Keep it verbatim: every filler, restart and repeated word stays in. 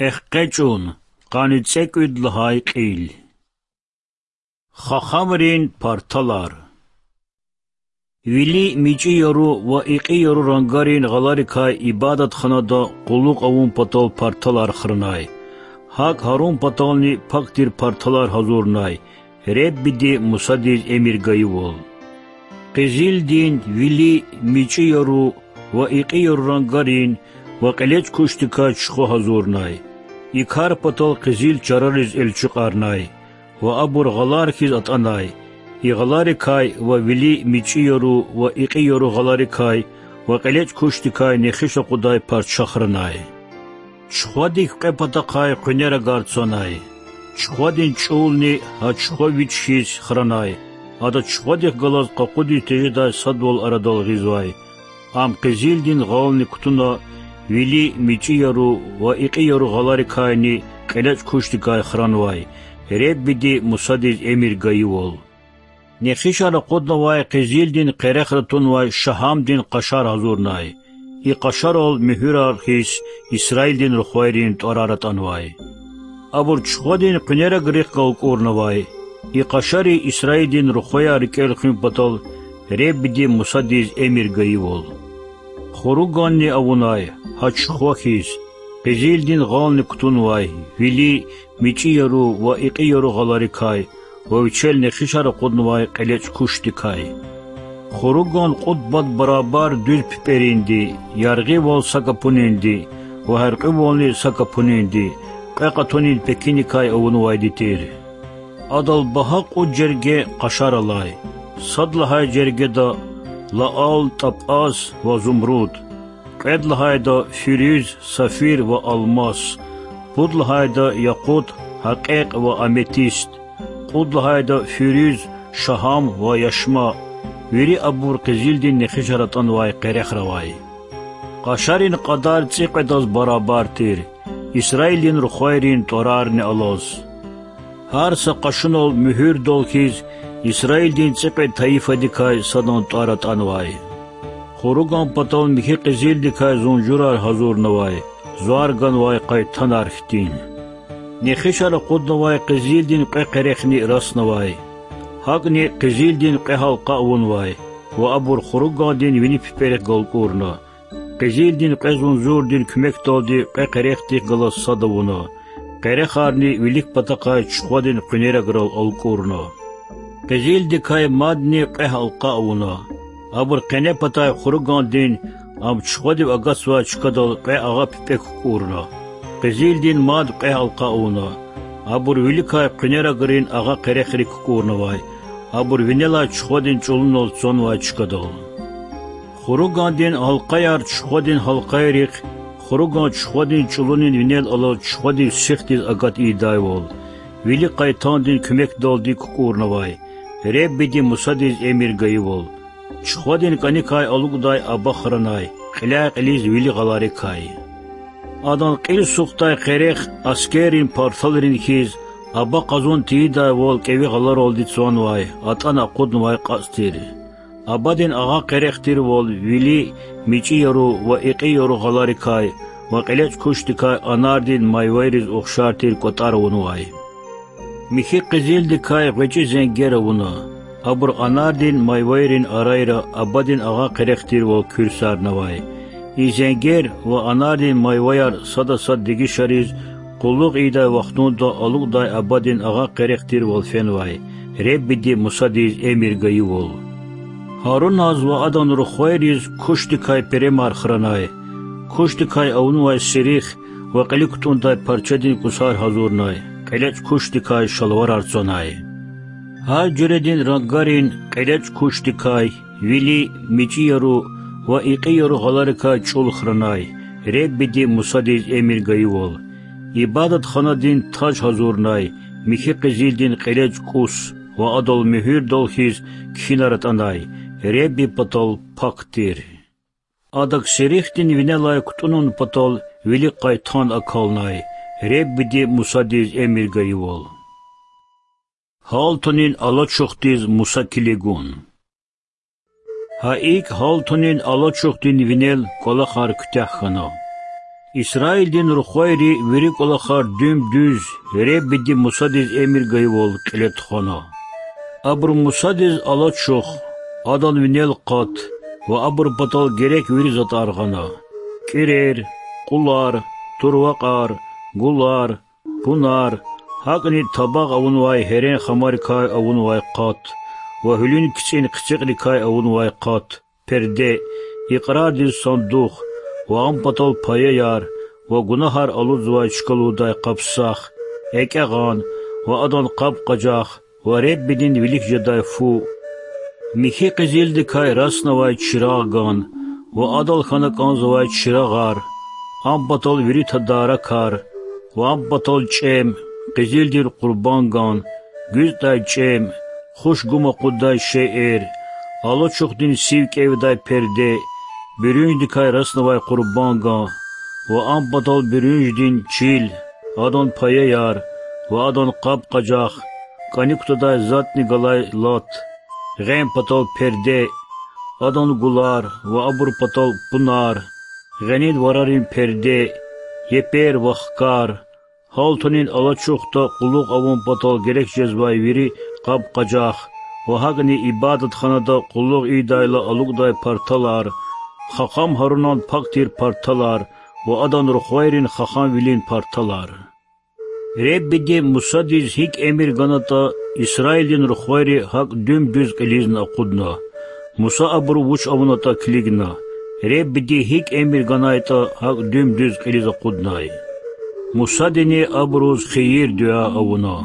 Эхкъечӏун, къанни цӏекӏуьд лагьай кьил. Хахамрин парталар. Вили мичӏи яру ва икьи яру рангарин гъаларикай ибадатханада къуллугъ авун патал парталар хранай. Гьакӏ Гьарун патални пак тир парталар гьазурнай, Реббиди Мусадиз эмир гайивал. Къизилдин, вили, мичӏи яру ва икьи яру рангарин ва кьелечӏ кушдикай чухва гьазурнай. И кар патал къизил чарариз элчукьарнай ва абур гъалар хьиз атӏанай. И гъаларикай ва вили мичӏи яру ва икьи яру гъаларикай ва кьелечӏ кушдикай нехиш акъудай парча хранай. Чухвадик кьве патахъай къуьнерагар цанай. Чухвадин чӏулни гьа чухва вич хьиз хранай, ада чухвадихъ галаз къакъудиз тежедай садвал арадал гъизвай. Ам къизилдин гъални кутуна, вили мичӏи яру ва икьи яру гъаларикайни кьелечӏ кушдикай хранвай, Реббиди Мусадиз эмир гайивал. Нехишар акъуднавай къизилдин къерехра тунвай шагьамдин къашар гьазурнай. И къашарал муьгьуьрар хьиз Исраилдин рухвайрин тӏварар атӏанвай. Абур чухвадин къуьнерагрихъ галкӏурнавай. И къашари Исраилдин рухваяр рикӏел хуьн патал Реббиди Мусадиз эмир гайивал. Хуруганни авунай, гьа чухва хьиз, къизилдин гъални кутунвай, вили, мичӏи яру ва икьи яру гъаларикай ва вичел нехишар акъуднавай кьелечӏ кушдикай. Хуруган кьуд пад барабар дуьз пипӏеринди, яргъивал са капунинди ва гьяркьуьвални са капунинди, кьве къатунин пекиникай авунвайди тир. Адал багьа кьуд жерге къашар алай: сад лагьай жергеда лаал, тӏапӏаз ва зумруд, кьвед лагьайда фируз, сафир ва алмас, пуд лагьайда якъут, гьакъекь ва аметист, кьуд лагьайда фируз, шагьам ва яшма, вири абур къизилдин нехишар атӏанвай къерехра авай. Къашарин кьадар цӏикьведаз барабар тир, Исраилдин рухвайрин тӏварарни алаз. Гьар са къашунал муьгьуьрдал хьиз Исраилдин цӏикьвед тайифадикай садан тӏвар атӏанвай. Хуруган патал михьи къизилдикай зунжурар гьазурнавай, звар ганвай къайтанар хьтин. Нехишар акъуднавай къизилдин кьве къерехни раснавай. Гьакӏни къизилдин кьве гьалкъа авунвай ва абур хуругандин вини пипӏерихъ галкӏурна. Къизилдин кьве зунжурдин куьмекдалди кьве къерехдихъ галаз сад авуна. Къерехарни вилик патахъай чухвадин къуьнераграл алкӏурна. Къизилдикай мадни кьве гьалкъа авуна. Абур къене патай хуругандин, ам чухвадив агатзавай чкадал кьве агъа пипӏе кукӏурна. Къизилдин мад кьве гьалкъа авуна. Абур виликай къуьнерагрин агъа къерехрик кукӏурнавай, абур винелай чухвадин чӏулунал цанвай чкадал. Хуругандин гьалкъаяр чухвадин гьалкъайрихъ, хуруган чухвадин чӏулунин винел алаз чухвадив сихдиз агат ийидайвал, вили къайтандин куьмекдалди кукӏурнавай, Реббиди Мусадиз эмир гайивал. Чухвадин кӏаникай алукӏдай аба хранай, кьиляй-кьилиз вили гъаларикай. Адан кьил сухдай къерех аскеррин парталрин хьиз, аба къазун тийидайвал кӏеви гъаларалди цанвай, атӏана акъуднавай кьацӏ тир. Абадин агъа къерех тирвал вили, мичӏи яру ва икьи яру гъаларикай ва кьелечӏ кушдикай анардин майвайриз ухшар тир кӏватӏар авунвай. Михьи къизилдикай гъвечӏи зенгер авуна. Абур анардин майвайрин арайра абадин агъа къерех тирвал куьрсарнавай. И зенгер ва анардин майваяр сада сад дегишариз къуллугъ ийидай вахтунда алукӏдай абадин агъа къерех тирвал фенвай, Реббиди Мусадиз эмир гайивал. Гьаруназ ва адан рухвайриз кушдикай перемар хранай, кушдикай авунвай сирих ва кьили кутӏундай парчадин кӏусар гьазурнай, кьелечӏ кушдикай шалварар цанай. Гьар жуьредин рангарин кьелечӏ кушдикай, вили, мичӏи яру ва икьи яру гъаларикай чӏул хранай, Реббиди Мусадиз эмир гайивал. Ибадатханадин таж гьазурнай, михьи къизилдин кьелечӏ кӏус ва адал муьгьуьрдал хьиз кхьинар атӏанай, Ребби патал пак тир. Адак серихдин винелай кутӏунун патал вилик къайтан акалнай, Реббиди Мусадиз эмир гайивал. Гьалтунин алачухдиз Муса килигун. Гьа икӏ гьалтунин алачухдин винел кӏвалахар куьтягь хьана. Исраилдин рухвайри вири кӀвалахар дуьм-дуьз, Худадин Мусадиз эмир гайивал, кьиле тухвана. Абуру Мусадиз алачух, адан винел акъат ва абурун патал герек вири затӀар гъана: кӀирер, кьулар, турвакьар, гулар, пунар, гьакӀни табагъ авунвай гьерен хамарикай авунвай акъат ва гьуьлуьн кицӀин хъицикьрикай авунвай акъат, перде, икьрардин сандух ва ам патал паяяр ва гунагьар алудзавай чка лугьудай къабсах, экӀягъан ва адан къаб-къажах ва Худадин вилик жедай фу, михьи къизилдикай раснавай чирагъган ва адал хьана кӀанзавай чирагъар, ам патал вири тадаракар ва ам патал чӀем, къизилдин къурбанган, гуьцӀдай чӀем, хуш гум акъуддай шейэр, алачухдин сив кӀевдай перде, буьрюнждикай раснавай къурбанган ва ам патал буьрюнждин чил, адан паяяр ва адан къаб-къажах, кӀаник кутадай затӀни галай лат, гъен патал перде, адан гулар ва абурун патал пунар, гъенин варарин перде, епер ва хкар, гьалтунин алачухда кьулухъ авун патал герек жезвай вири къаб-къажах ва гьакӀни ибадатханада кьулухъ ийидайла алукӀдай парталар, хахъам Гьарунан пак тир парталар ва адан рухвайрин хаханвилин парталар. Худадин Мусадиз гьикӀ эмир ганатӀа, Исраилдин рухвайри гьакӀ дуьм-дуьз кьилизни акъудна. Муса абуру вуч авунатӀа килигна, Худадиз гьикӀ эмир ганайтӀа, гьакӀ дуьм-дуьз кьилиз акъуднай. Мусадини абуруз хийир-дуьа авуна.